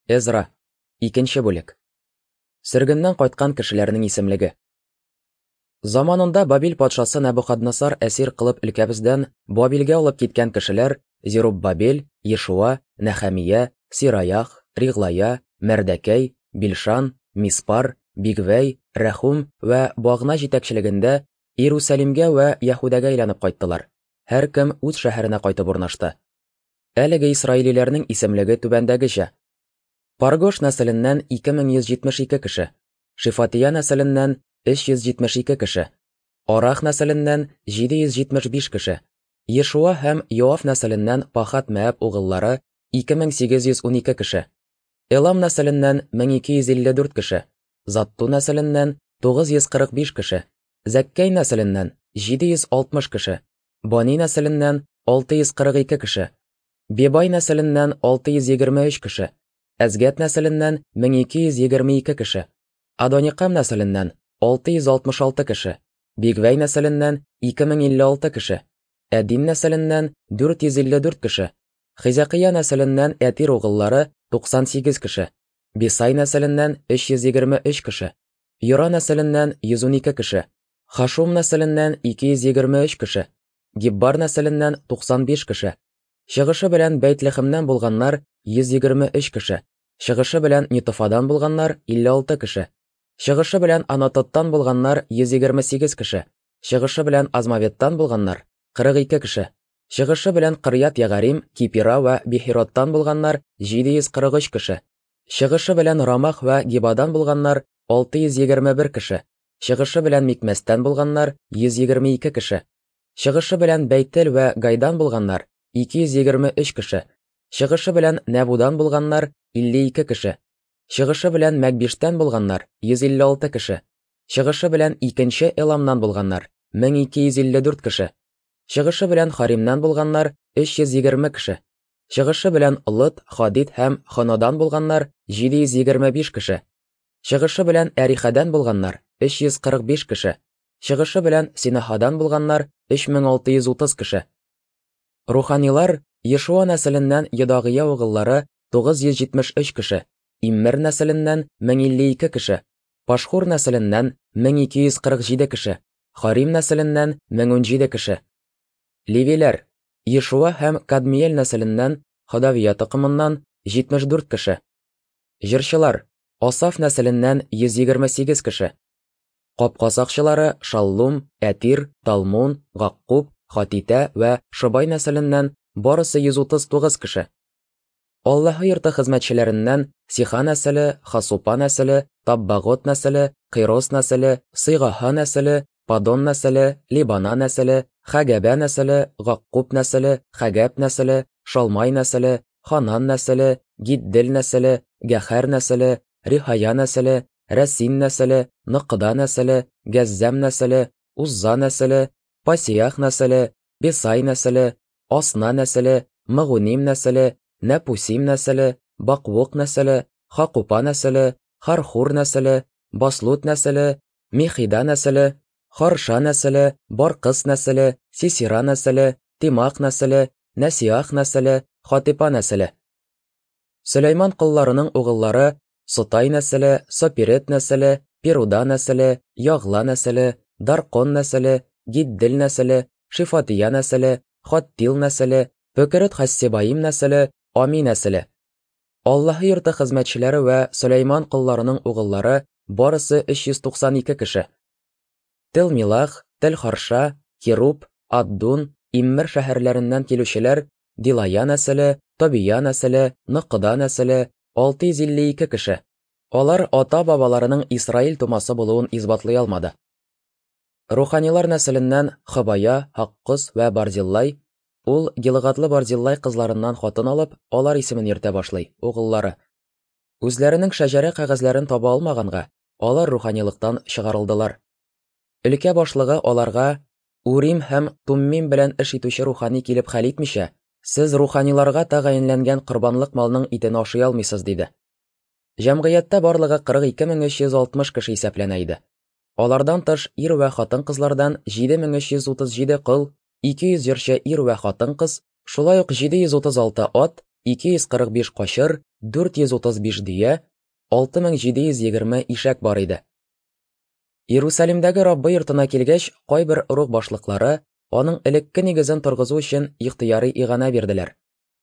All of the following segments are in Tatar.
Эзра, икенче бүлек. Сөргеннән кайткан кешеләрнең исемлеге. Заманында Бабил патшасы Нәбухаднасар әсир кылып өлкәбездән Бабилгә алып киткән кешеләр Зеруббабел, Ешуа, Нәхәмия, Сираях, Риглая, Мәрдәкәй, Билшан, Миспар, Бигвәй, Рәхум вә Багна җитәкчелегендә Иерусалимгә вә Яһүдәгә әйләнеп кайттылар. Һәркем үз шәһәренә кайтып урнашты. Әлеге исраилиләрнең исемлеге түбәндәгечә. Паргош нәселеннән 2172 кеше, Шифатия нәселеннән 372 кеше, Арах нәселеннән 775 кеше, Ешуа һәм Йоав нәселеннән Пахат Мәәб угыллары 2812 кеше, Элам нәселеннән 1254 кеше, Затту нәселеннән 945 кеше, Зәккәй нәселеннән 760 кеше, Бани нәселеннән 642 кеше, Бебай нәселеннән 623 кеше, Әзгәт нәселеннән 1222 кеше, Адоникам нәселеннән 666 кеше, Бигвәй нәселеннән 2056 кеше, Әдин нәселеннән 454 кеше, Хизәкия нәселеннән Әтир угыллары 98 кеше, Бисай нәселеннән 323 кеше, Йора нәселеннән 112 кеше, Хашум нәселеннән 223 кеше, Гиббар нәселеннән 95 кеше, Чыгышы белән Бәйтлехемнән булганнар 123 кеше, чыгышы белән Нитофадан булганнар 56 кеше, чыгышы белән Анатоттан булганнар 128 кеше, чыгышы белән Азмаветтан булганнар 42 кеше, чыгышы белән Кырьят Ягарим, Кипира вә Бихироттан булганнар 743 кеше, чыгышы белән Рамах вә Гибадан булганнар 621 кеше, чыгышы белән Микмәстән булганнар 122 кеше, чыгышы белән Бәйтел вә Гайдан булганнар 223 кеше, чыгышы белән Нәбудан булганнар 52 кеше, чыгышы белән Мәгбиштән булганнар 156 кеше, чыгышы белән икенче Эламнан булганнар 1254 кеше, чыгышы белән Харимнан булганнар 320 кеше, чыгышы белән Лыт, Хадид һәм Хонодан булганнар 725 кеше, чыгышы белән Әрихәдән булганнар 345 кеше, чыгышы белән Синахадан булганнар 3630 кеше. Руханилар Ешуа нәселеннән Йодагыя угыллары 973 кеше, Иммер нәселеннән 1052 кеше, Пашхур нәселеннән 1247 кеше, Харим нәселеннән 1017 кеше. Левиләр Ешуа һәм Кадмиел нәселеннән Ходавия токымыннан 74 кеше. Җырчылар Асаф нәселеннән 128 кеше. Капка сакчылары Шаллум, Әтир, Талмун, Гаккуб, Хатитә вә Шобай нәселеннән барысы 139 кеше. Аллаһы йорты хезмәтчеләреннән Сиха нәселе, Хасупа нәселе, Таббагот нәселе, Кыйрос нәселе, Сыйгаһа нәселе, Падон нәселе, Либана нәселе, Хәгәбә нәселе, Гаккуб нәселе, Хәгәп нәселе, Шалмай нәселе, Ханан нәселе, Гиддел нәселе, Гәхәр нәселе, Рихая нәселе, Рәсин нәселе, Ныкыда нәселе, Гәззәм нәселе, Узза нәселе, Пасиях нәселе, Бесай нәселе, Асна нәселе, Мыгуним нәселе, Нәпусим нәселе, Баквук нәселе, Хакупа нәселе, Хархур нәселе, Баслут нәселе, Михида нәселе, Харша нәселе, Баркыс нәселе, Сисира нәселе, Тимак нәселе, Нәсиах нәселе, Хатипа нәселе. Сөләйман колларының угыллары Сотай нәселе, Сопирет нәселе, Перуда нәселе, Ягла нәселе, Даркон нәселе, Гиддел нәселе, Шифатия нәселе, Хаттил нәселе, Бөкерет Хассебаим нәселе, Ами нәселе. Аллаһы йорты хезмәтчеләре вә Сөләйман колларының угыллары барысы 392 кеше. Тел-Милах, Тел-Харша, Кируб, Аддун, Иммер шәһәрләреннән килүчеләр Дилая нәселе, Тобия нәселе, Ныкыда нәселе, 652 кеше. Алар ата-бабаларының Исраил тумасы булуын исбатлый алмады. Руханилар нәселеннән Хобая, Һаккос вә Барзиллай, ул Гилгадлы Барзиллай кызларыннан хатын алып, алар исемен йөртә башлый, угыллары. Үзләренең шәҗәрә кәгазьләрен таба алмаганга, алар руханилыктан чыгарылдылар. Өлкә башлыгы аларга Урим һәм Туммим белән эш итүче рухани килеп хәл итмичә, сез руханиларга тәгаенләнгән корбанлык малның итен ашый алмыйсыз, диде. Җәмгыятьтә барлыгы 42360 кеше исәпләнә иде. Алардан тыш ир вә хатын-кызлардан 7337 кол, 200 җырчы ир вә хатын-кыз, шулай ук 736 ат, 245 качыр, 435 дөя, 6720 ишәк бар иде. Иерусалимдәге Раббы йортына килгәч, кайбер ыруг башлыклары аның элекке нигезен торгызу өчен ихтыяри иганә бирделәр.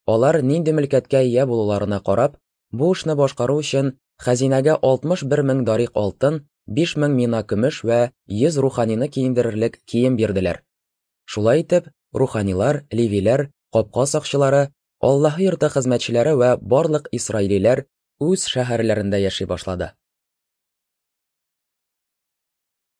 Алар нинди мөлкәткә ия булуларына карап, бу эшне башкару өчен хәзинәгә 61 мең дарик алтын, 5 мең мина көмеш вә 100 руханины киендерерлек кием бирделәр. Шулай итеп, руханилар, левиләр, капка сакчылары, Аллаһы йорты хезмәтчеләре вә барлык исраилиләр үз шәһәрләрендә яши башлады.